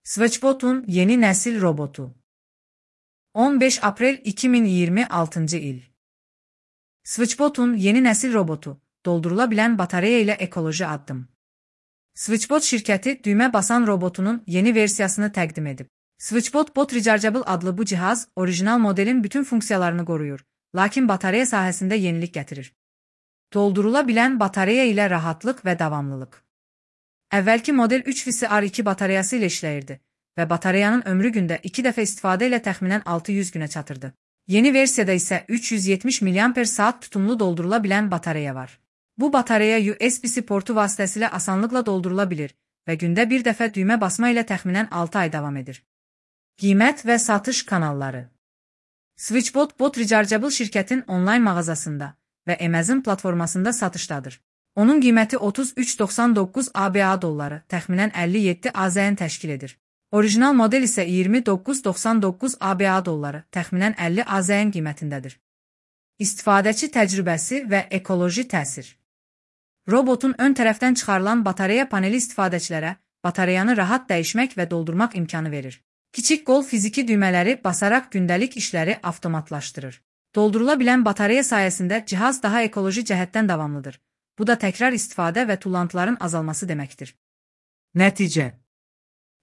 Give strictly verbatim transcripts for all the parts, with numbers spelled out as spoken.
Switchbot'un yeni nesil robotu. on beş April iki min iyirmi altıncı il. Switchbot'un yeni nesil robotu, doldurulabilen batarya ile ekoloji addım. Switchbot şirkəti düymə basan robotunun yeni versiyasını təqdim edib. Switchbot Bot Rechargeable adlı bu cihaz, orijinal modelin bütün funksiyalarını qoruyur, lakin batarya sahəsində yenilik gətirir. Doldurulabilen batarya ilə rahatlıq və davamlılıq. Əvvəlki model üç V R iki bataryası ilə işləyirdi və bataryanın ömrü gündə iki dəfə istifadə ilə təxminən altı yüz günə çatırdı. Yeni versiyada isə üç yüz yetmiş miliamper saat tutumlu doldurulabilen batarya var. Bu batarya U S B-C portu vasitəsilə asanlıqla doldurula bilir və gündə bir dəfə düymə basma ilə təxminən altı ay davam edir. Qiymət və satış kanalları. Switchbot Bot Rechargeable şirkətin onlayn mağazasında və Amazon platformasında satışdadır. Onun qiyməti otuz üç doxsan doqquz ABA dolları, təxminən əlli yeddi AZN təşkil edir. Orijinal model isə iyirmi doqquz doxsan doqquz ABA dolları, təxminən əlli AZN qiymətindədir. İstifadəçi təcrübəsi və ekoloji təsir. Robotun ön tərəfdən çıxarılan batarya paneli istifadəçilərə bataryanı rahat dəyişmək və doldurmaq imkanı verir. Kiçik qol fiziki düymələri basaraq gündəlik işləri avtomatlaşdırır. Doldurula bilən batarya sayəsində cihaz daha ekoloji cəhətdən davamlıdır. Bu da təkrar istifadə və tullantıların azalması deməkdir. Nəticə.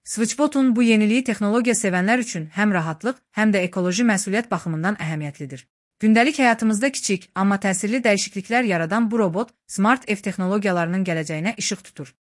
Switchbot'un bu yeniliyi texnologiya sevənlər üçün həm rahatlıq, həm də ekoloji məsuliyyət baxımından əhəmiyyətlidir. Gündəlik həyatımızda kiçik, amma təsirli dəyişikliklər yaradan bu robot, smart ev texnologiyalarının gələcəyinə işıq tutur.